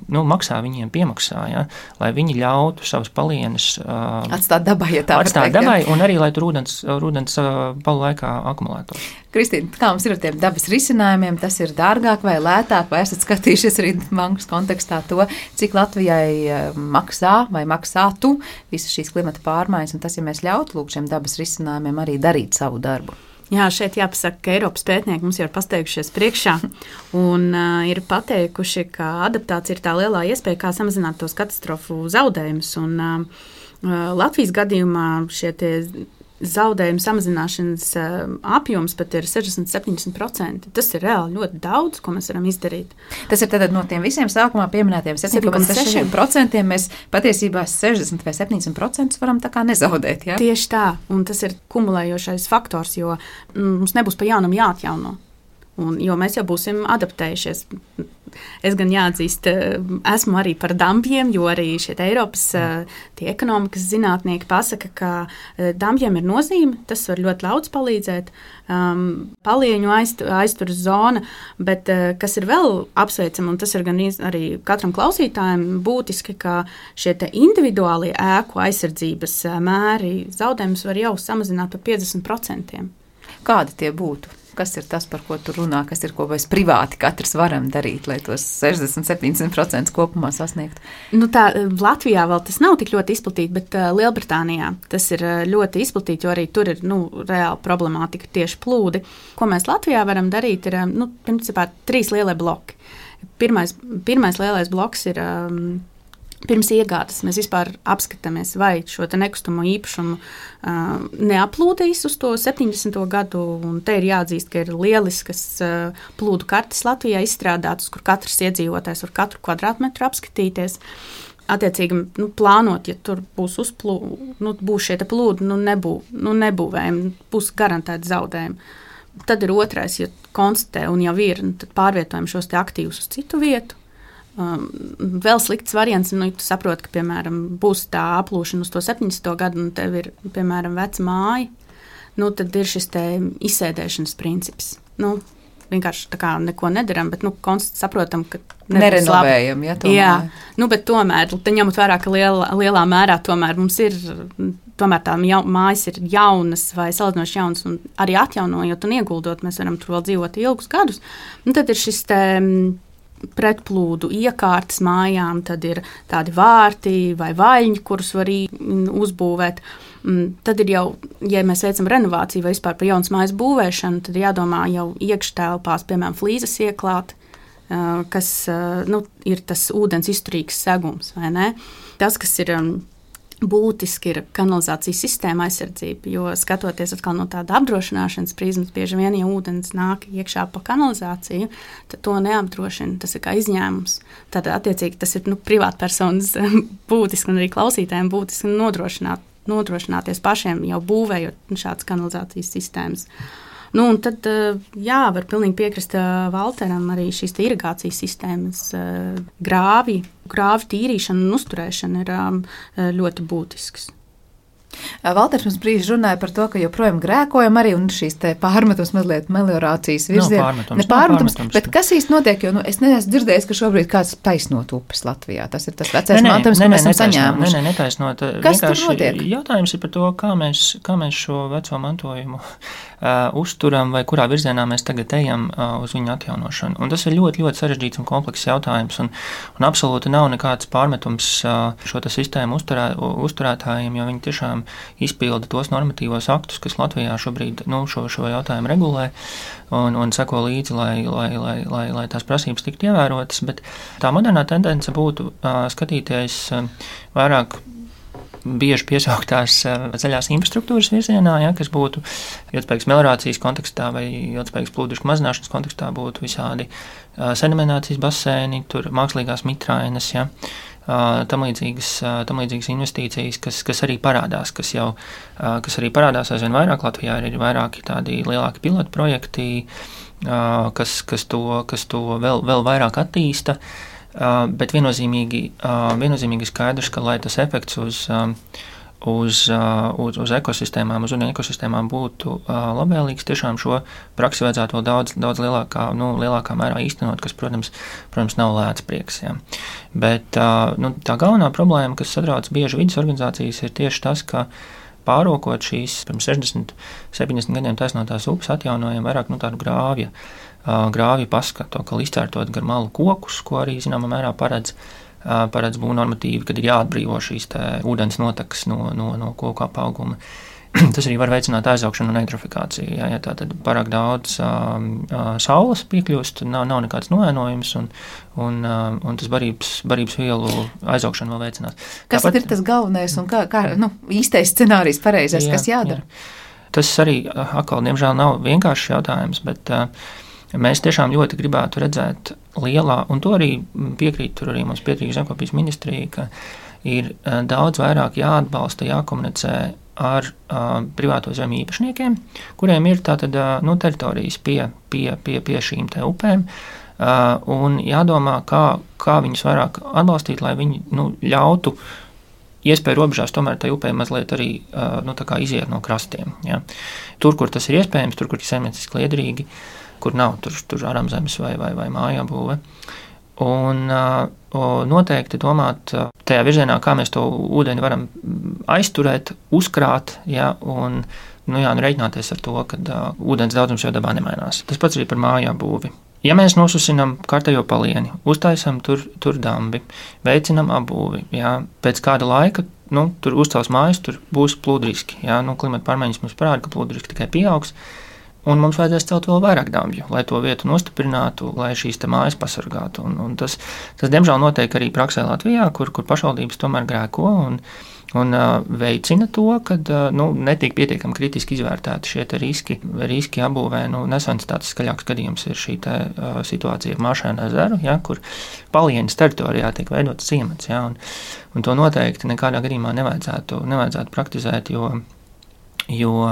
maksā viņiem piemaksā, ja, lai viņi ļautu savas palienas
atstāt dabai, ja tā
atstāt dabai, un arī, lai tur ūdens palu laikā akumulētos.
Kristīna, kā mums ir ar tiem dabas risinājumiem, tas ir dārgāk vai lētāk, vai esat skatījušies arī bankas kontekstā to, cik Latvijai maksā vai maksātu visas šīs klimata pārmaiņas, un tas, ja mēs ļautu lūk šiem dabas risinājumiem arī darīt savu darbu.
Jā, šeit jāpasaka, ka Eiropas pētnieki mums jau ir pasteigušies priekšā un ir pateikuši, ka adaptācija ir tā lielā iespēja, kā samazināt tos katastrofu zaudējumus. Un Latvijas gadījumā šie tie zaudējumu samazināšanas apjoms pat ir 60-70%. Tas ir reāli ļoti daudz, ko mēs varam izdarīt.
Tas ir tad no tiem visiem sākumā pieminētiem 7,6% mēs patiesībā 60 vai 70% varam tā kā nezaudēt. Ja?
Tieši tā, un tas ir kumulējošais faktors, jo mums nebūs pa jaunam jāatjauno. Jo mēs jau būsim adaptējušies. Es gan jāatzīst, esmu arī par dambjiem, jo arī šie Eiropas tie ekonomikas zinātnieki pasaka, ka dambjiem ir nozīme, tas var ļoti daudz palīdzēt, palieņu aizturas zona, bet kas ir vēl apsveicami, un tas ir gan arī katram klausītājam būtiski, ka šie te individuālie ēku aizsardzības mēri zaudējumus var jau samazināt par 50%.
Kādi tie būtu? Kas ir tas, par ko tu runā, kas ir, ko mēs privāti katrs varam darīt, lai tos 60-70% kopumā sasniegtu?
Latvijā vēl tas nav tik ļoti izplatīti, bet Lielbritānijā tas ir ļoti izplatīti, jo arī tur ir reāla problemātika tieši plūdi. Ko mēs Latvijā varam darīt, ir principā 3 lielie bloki. Pirmais lielais bloks ir pirms iegādes mēs vispār apskatāmies, vai šo te nekustamo īpašumu neaplūdīs uz to 70. gadu, un te ir jāatzīst, ka ir lieliskas plūdu kartes Latvijā izstrādātas, kur katrs iedzīvotājs var katru kvadrātmetru apskatīties. Attiecīgi, plānot, ja tur būs būs šie te plūdi, nebūvējumi, būs garantēti zaudējumi. Tad ir otrais, ja konstatē un jau ir, tad pārvietojam šos te aktīvus uz citu vietu. Vēl slikts variants, tu saproti, ka, piemēram, būs tā aplūšana uz to 70. gadu, un tev ir, piemēram, veca māja, tad ir šis te izsēdēšanas princips. Vienkārši tā kā neko nedaram, bet, saprotam, ka
nerenovējam, ja tomēr.
Jā, bet tomēr, ņemot vērā, ka lielā mērā tomēr mums ir, tomēr tā mājas ir jaunas vai salīdzinoši jaunas, un arī atjaunojot un ieguldot, mēs varam tur vēl dzīvot ilgus gadus, tad ir šis te pretplūdu iekārtas mājām, tad ir tādi vārti vai vaļņi, kurus var uzbūvēt. Tad ir jau, ja mēs veicam renovāciju vai vispār par jaunas mājas būvēšanu, tad jādomā jau iekštelpās, piemēram, flīzes ieklāt, kas ir tas ūdens izturīgs segums, vai ne? Tas, kas ir būtiski, ir kanalizācijas sistēma aizsardzība, jo skatoties atkal no tāda apdrošināšanas prizmas, bieži vien, ja ūdens nāk iekšā pa kanalizāciju, tad to neapdrošina, tas ir kā izņēmums. Tad, attiecīgi, tas ir privātpersonas būtiski un arī klausītājiem būtiski nodrošināties pašiem jau būvējot šādas kanalizācijas sistēmas. Un tad, var pilnīgi piekrist Valteram, arī šīs irigācijas sistēmas grāvi tīrīšana un uzturēšana ir ļoti būtisks.
Valters mums brīži runāja par to, ka joprojām grēkojam arī un šīs te pārmetums mazliet meliorācijas virzienā. Nepārmetums, bet kas īsti notiek, jo es neesmu dzirdējis, ka šobrīd kāds taisnot upes Latvijā. Tas ir tas vecais mantojums, ko mēs esam saņēmuši.
Netaisnot.
Kas tur notiek?
Jautājums ir par to, kā mēs šo veco mantojumu uzturam vai kurā virzienā mēs tagad ejam uz viņu atjaunošanu. Un tas ir ļoti, ļoti sarežģīts un komplekss jautājums, un absolūti nav nekāds pārmetums šo sistēmu uzturētājiem, jo viņi tiešām izpilda tos normatīvos aktus, kas Latvijā šobrīd šo jautājumu regulē un seko līdzi, lai tās prasības tiktu ievērotas. Bet tā modernā tendence būtu skatīties vairāk bieži piesauktās zaļās infrastruktūras virzienā, kas būtu ilgspējīgas meliorācijas kontekstā vai ilgspējīgas plūdu mazināšanas kontekstā būtu visādi sedimentācijas baseini, tur mākslīgās mitrainas, tam līdzīgas investīcijas, kas arī parādās, kas arī parādās aizvien vairāk. Latvijā ir vairāki tādi lielāki pilotu projekti, kas to vēl vairāk attīsta. Bet viennozīmīgi skaidrs, ka lai tas efekts uz ekosistēmām, uz ūdeņu ekosistēmām būtu labvēlīgs, tiešām šo praksi vajadzētu vēl daudz lielākā mērā īstenot, kas, protams nav lēts prieks. Ja. Bet tā galvenā problēma, kas satrauc bieži vidas organizācijas, ir tieši tas, ka pārokot šīs pirms 60-70 gadiem taisnotās upes atjaunojam vairāk tādu grāvju paskatu, ka izcērtot gar malu kokus, ko arī zināmā mērā paredz būvnormatīvi, kad ir jāatbrīvo šīs ūdens notekas no koku apauguma. Tas arī var veicināt aizaugšanu un eitrofikāciju. Ja tātad pārāk daudz saules piekļūst, nav nekāds noēnojums, un tas barības vielu aizaugšanu vēl veicinās.
Kas tad ir tas galvenais un kā īstais scenārijs pareizais, kas jādara?
Jā. Tas arī atkal, diemžēl, nav vienkāršs jautājums, bet mēs tiešām ļoti gribētu redzēt lielā, un to arī mums piekrīt Zemkopības ministrija, ka ir daudz vairāk jāatbalsta, jākomunicē ar privāto zemi īpašniekiem, kuriem ir tātad teritorijas pie šīm te upēm, un jādomā, kā viņus vairāk atbalstīt, lai viņi ļautu iespēju robežās tomēr tai upē mazliet arī tā kā iziet no krastiem. Ja. Tur, kur tas ir iespējams, tur, kur ir saimnieciski liederīgi, kur nav tur ārzemēs vai mājabūve. Un noteikti domāt tajā virzienā, kā mēs to ūdeni varam aizturēt, uzkrāt, un reiķināties ar to, ka ūdens daudzums jau dabā nemainās. Tas pats arī par mājabūvi. Ja mēs nosusinām kārtējo palieni, uztaisam tur dambi, veicinam apbūvi, pēc kāda laika tur uzcels mājas, tur būs plūdriski. Klimata pārmaiņas mums parāda, ka plūdriski tikai pieaugs. Un mums vajadzēs celt vēl vairāk damju, lai to vietu nostiprinātu, lai šīs te mājas pasargātu. Un tas diemžēl notiek arī praksē Latvijā, kur pašvaldības tomēr grēko un veicina to, ka netiek pietiekami kritiski izvērtēti šie riski apbūvē. Nesens tāds skaļāks gadījums ir šī situācija ar Māšēnu ezeru, kur Palienas teritorijā tiek veidots ciemats. Un to noteikti nekādā gadījumā nevajadzētu praktizēt, jo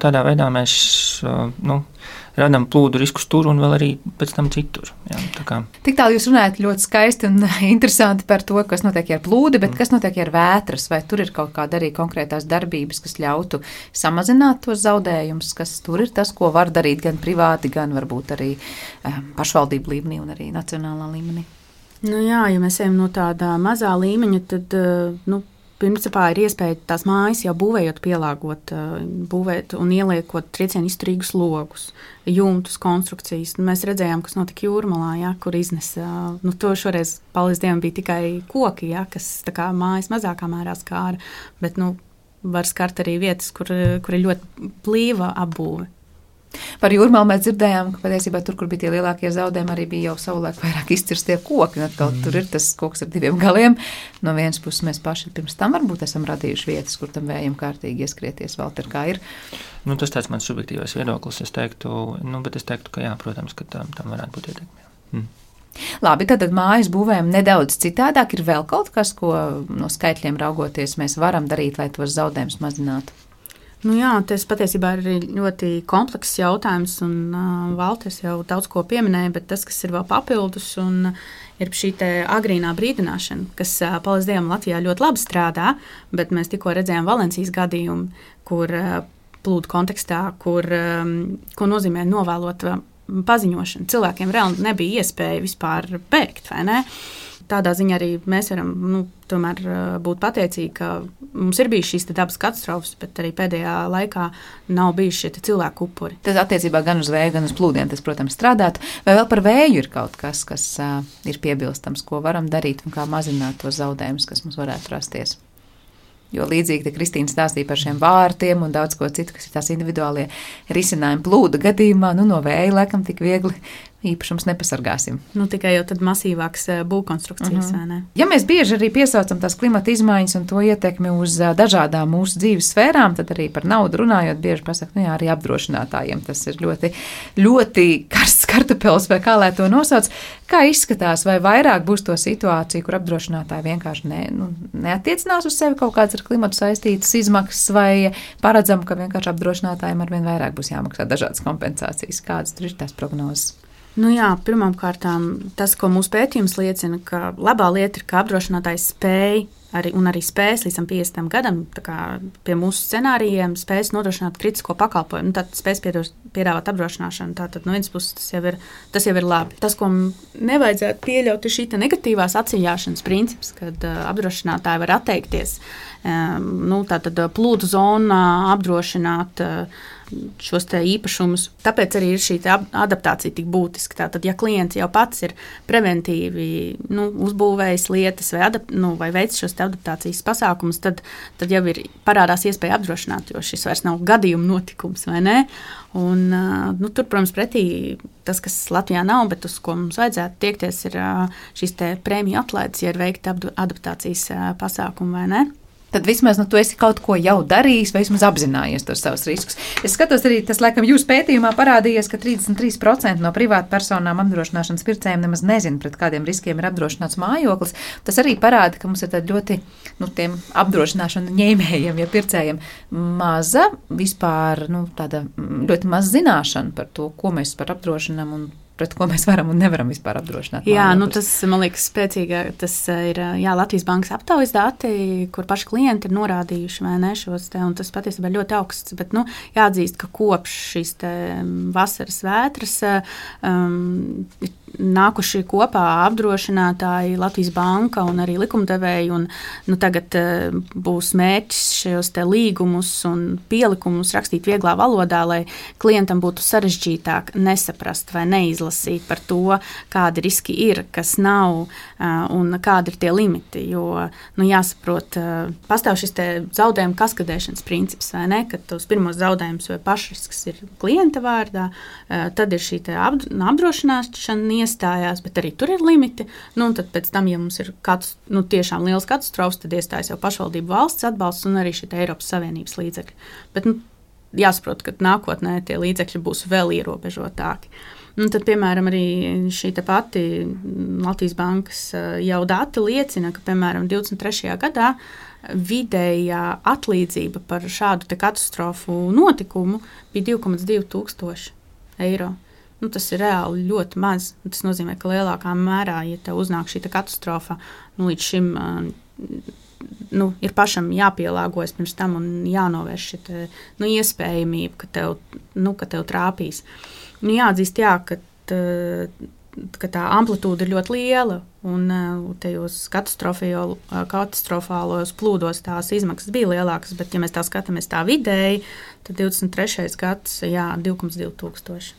tādā veidā mēs radām plūdu riskus tur un vēl arī pēc tam citur.
Tik tālu jūs runājat ļoti skaisti un interesanti par to, kas notiek ar plūdi, bet kas notiek ar vētras, vai tur ir kaut kāda arī konkrētās darbības, kas ļautu samazināt tos zaudējumus, kas tur ir tas, ko var darīt gan privāti, gan varbūt arī pašvaldību līmenī un arī nacionālā līmenī?
Ja mēs ejam no tāda mazā līmeņa, tad, principā ir iespēja tās mājas jau būvējot, pielāgot, būvēt un ieliekot triecienu izturīgus logus, jumtus, konstrukcijas. Mēs redzējām, kas notika Jūrmalā, kur iznesa. To šoreiz, paldies Dievam, bija tikai koki, kas tā kā mājas mazākā mērā skāra, bet var skart arī vietas, kur ir ļoti plīva apbūve.
Par Jūrmalu mēs dzirdējām, ka patiesībā tur, kur bija tie lielākie zaudējumi, arī bija jau savulaik vairāk izcirstie koki. Tur ir tas koks ar diviem galiem. No vienas puses mēs paši pirms tam varbūt esam radījuši vietas, kur tam vējam kārtīgi ieskrieties. Valter, kā ir?
Tas tāds mans subjektīvais viedoklis. Es teiktu, ka jā, protams, ka tam varētu būt ietekme.
Labi, tad mājas būvējam nedaudz citādāk. Ir vēl kaut kas, ko no skaitļiem raugoties mēs varam darīt, lai tos zaudējumus mazinātu?
Tas patiesībā ir ļoti komplekss jautājums, un Valters jau daudz ko pieminēja, bet tas, kas ir vēl papildus, ir šī agrīnā brīdināšana, kas, paldies Dievam, Latvijā ļoti labi strādā, bet mēs tikko redzējām Valencijas gadījumu, kur plūdu kontekstā, ko nozīmē novēlot paziņošanu. Cilvēkiem reāli nebija iespēja vispār bēgt, vai ne? Tādā ziņā arī mēs varam tomēr būt pateicīgi, ka mums ir bijis šīs dabas katastrofas, bet arī pēdējā laikā nav bijuši šie cilvēku upuri.
Tas attiecībā gan uz vēju, gan uz plūdiem, tas, protams, strādātu. Vai vēl par vēju ir kaut kas ir piebilstams, ko varam darīt un kā mazināt tos zaudējumus, kas mums varētu rasties? Jo līdzīgi te Kristīna stāstīja par šiem vārtiem un daudz ko citu, kas ir tās individuālie risinājumi plūdu gadījumā, no vēja laikam tik viegli īpašums nepasargāsim.
Tikai jau tad masīvāks būvkonstrukcijas, vai ne?
Ja mēs bieži arī piesaucam tās klimata izmaiņas un to ietekmi uz dažādām mūsu dzīves sfērām, tad arī par naudu runājot, bieži pasaka, arī apdrošinātājiem tas ir ļoti, ļoti karsts kartupels, vai kā lai to nosauc. Kā izskatās, vai vairāk būs to situāciju, kur apdrošinātāji vienkārši neatiecinās uz sevi kaut kādas ar klimatu saistītas izmaksas, vai paredzam, ka vienkārši apdrošinātājiem arvien vairāk būs jāmaksā dažādas kompensācijas? Kādas tur ir tās prognozes?
Pirmkārt, tas, ko mūsu pētījums liecina, ka labā lieta ir, ka apdrošinātājs spēj arī spējas līdz 50 gadam, tā kā pie mūsu scenārijiem spējas nodrošināt kritisko pakalpojumu, tad spējas piedāvāt apdrošināšanu. Tātad no vienas puses tas jau ir labi. Tas, ko nevajadzētu pieļaut, ir šī negatīvās atsijāšanas princips, kad apdrošinātāji var atteikties tātad plūdu zonā apdrošināt šos te īpašumus. Tāpēc arī ir šī adaptācija tik būtiska. Tātad, ja klients jau pats ir preventīvi uzbūvējis lietas vai veic šos te adaptācijas pasākumus, tad jau ir parādās iespēja apdrošināt, jo šis vairs nav gadījuma notikums, vai ne? Un, tur, protams, pretī tas, kas Latvijā nav, bet uz ko mums vajadzētu tiekties, ir šīs te prēmiju atlaides, ja ir veikta adaptācijas pasākumi, vai ne?
Tad vismaz tu esi kaut ko jau darījis, vai vismaz apzinājies tos savus riskus. Es skatos arī, tas laikam jūsu pētījumā parādījies, ka 33% no privātu personām apdrošināšanas pircējiem nemaz nezina, pret kādiem riskiem ir apdrošināts mājoklis. Tas arī parāda, ka mums ir tāda ļoti, tiem apdrošināšanu ņēmējiem, ja pircējiem maza vispār, tāda ļoti maz zināšana par to, ko mēs par apdrošinām un pret ko mēs varam un nevaram vispār apdrošināt.
Jā, tas, man liekas, spēcīgāk, tas ir Latvijas bankas aptaujas dati, kur paši klienti ir norādījuši, vai ne, šos te, un tas patiesībā ļoti augsts, bet, jāatzīst, ka kopš šīs te vasaras vētras nākuši kopā apdrošinātāji, Latvijas banka un arī likumdevēji, un tagad būs mērķis šos te līgumus un pielikumus rakstīt vieglā valodā, lai klientam būtu sarežģītāk nesaprast vai neizlasīt par to, kādi riski ir, kas nav un kādi ir tie limiti, jo, jāsaprot, pastāv šis te zaudējuma kaskadēšanas princips, vai ne, kad tos pirmos zaudējumus vai pašrisks ir klienta vārdā, tad ir šī te apdrošināšana iestājās, bet arī tur ir limiti, un tad pēc tam, ja mums ir tiešām liels katastrofas, tad iestājas jau pašvaldību valsts atbalsts un arī šī Eiropas Savienības līdzekļi. Bet jāsaprot, ka nākotnē tie līdzekļi būs vēl ierobežotāki. Tad, piemēram, arī šī pati Latvijas bankas jau dati liecina, ka, piemēram, 23. gadā vidējā atlīdzība par šādu katastrofu notikumu bija 2,2 tūkstoši eiro. Tas ir reāli ļoti maz. Tas nozīmē, ka lielākā mērā, ja tev uznāk šī katastrofa, līdz šim ir pašam jāpielāgojas pirms tam un jānovērš šī iespējamība, ka tev trāpīs. Jāatzīst, ka tā amplitūda ir ļoti liela un tajos katastrofālos plūdos tās izmaksas bija lielākas, bet ja mēs tā skatāmies tā vidēji, tad 23. gads, 2,2 tūkstoši.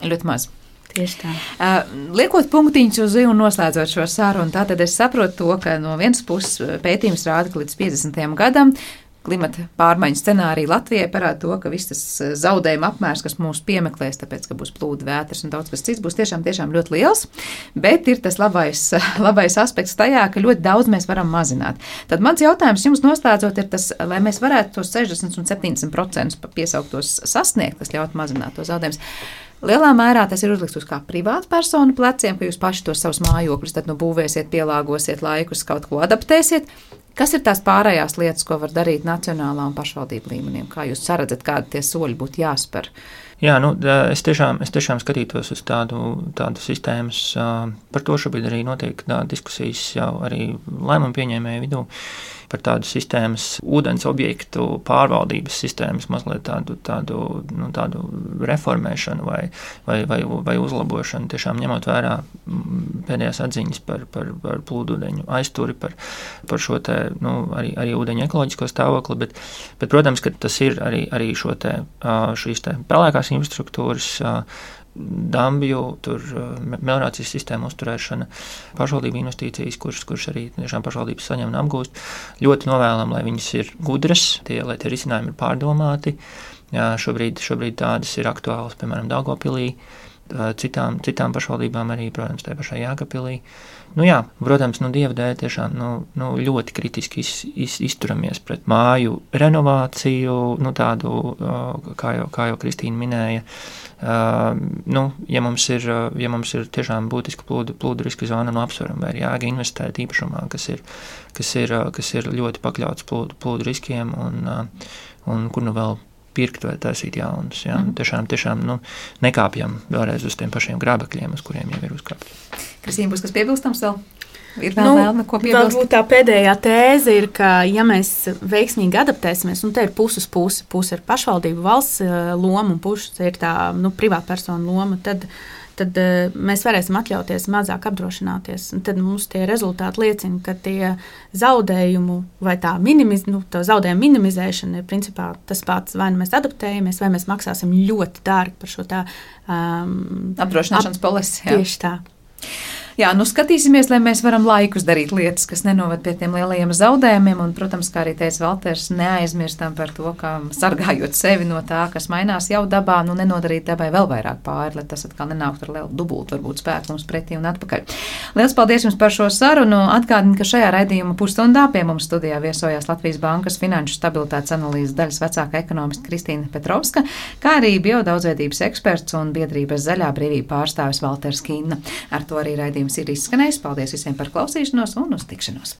Ļoti maz.
Tieši tā.
Liekot punktiņus uz I un noslēdzot šo sarunu, tātad es saprotu to, ka no vienas puses pētījums rāda, ka līdz 50. gadam klimata pārmaiņu scenārija Latvijai parāda to, ka viss tas zaudējuma apmērs, kas mūs piemeklēs, tāpēc, ka būs plūdi, vētras un daudz kas cits, būs tiešām ļoti liels, bet ir tas labais aspekts tajā, ka ļoti daudz mēs varam mazināt. Tad mans jautājums jums noslēdzot ir tas, lai mēs varētu tos 60 un 70% piesauktos sasniegt, kas ļaut mazināt to zaudējumus. Lielā mērā tas ir uzlikts uz kā privātu personu pleciem, ka jūs paši tos savus mājokļus tad būvēsiet, pielāgosiet laikus, kaut ko adaptēsiet. Kas ir tās pārējās lietas, ko var darīt nacionālā un pašvaldību līmenī? Kā jūs saredzat, kādi tie soļi būtu jāspēr?
Jā, es tiešām skatītos uz tādu sistēmas. Par to šobrīd arī notiek diskusijas jau arī lēmumu pieņēmēju vidū par tādu sistēmas, ūdens objektu pārvaldības sistēmas mazliet tādu reformēšanu vai uzlabošanu, tiešām ņemot vērā pēdējās atziņas par plūdūdeņu aizturi, par šo te, arī ūdeņu ekoloģisko stāvokli, bet, protams, ka tas ir arī šīs te pelēkās infrastruktūras, dambju, meliorācijas sistēmu uzturēšana, pašvaldību investīcijas, kuras arī tiešām pašvaldības saņem un apgūst. Ļoti novēlam, lai viņas ir gudras, lai tie risinājumi ir pārdomāti. Šobrīd tādas ir aktuālas, piemēram, Daugavpilī, citām pašvaldībām arī, protams, tajā pašā Jēkabpilī. Protams, Dieva dēļ tiešām ļoti kritiski izturamies pret māju renovāciju, tādu, kā jau Kristīna minēja. Ja mums ir tiešām būtiska plūdu riska zona, apsveram, vai ir jāga investēt īpašumā, kas ir ļoti pakļauts plūdu riskiem un kur vēl pirkt vai taisīt jaunus. Ja? Tiešām nekāpjam vēlreiz uz tiem pašiem grābekļiem, uz kuriem jau ir uzkāpti.
Kristīna, būs kas piebilstams vēl? Ir vēl ko piebilst?
Varbūt tā pēdējā tēze ir, ka ja mēs veiksmīgi adaptēsimies, te ir puses puse ir pašvaldību valsts loma un puses ir tā privātpersona loma, tad mēs varēsim atļauties mazāk apdrošināties. Un tad mums tie rezultāti liecina, ka tie zaudējumu vai tā zaudējumu minimizēšana ir principā tas pats, vai mēs adaptējamies, vai mēs maksāsim ļoti dārgi par šo
apdrošināšanas polisi.
Tieši tā.
Jā, skatīsimies, lai mēs varam laikus darīt lietas, kas nenovad pie tiem lielajiem zaudējumiem, un, protams, kā arī teica Valters, neaizmirstam par to, ka sargājot sevi no tā, kas mainās jau dabā, nenodarīt dabai vēl vairāk pāri, lai tas atkal nenāktu ar lielu dubultu, varbūt spēku mums pretī un atpakaļ. Liels paldies jums par šo sarunu. Atgādinu, ka šajā raidījuma pusstundā pie mums studijā viesojās Latvijas Bankas finanšu stabilitātes analīzes daļas vecākā ekonomista Kristīna Petrovska, kā arī biodaudzveidības eksperts un biedrības Zaļā brīvība pārstāvis Valters Kīna. Ar to arī raidījums ir izskanējis. Paldies visiem par klausīšanos un uz tikšanos!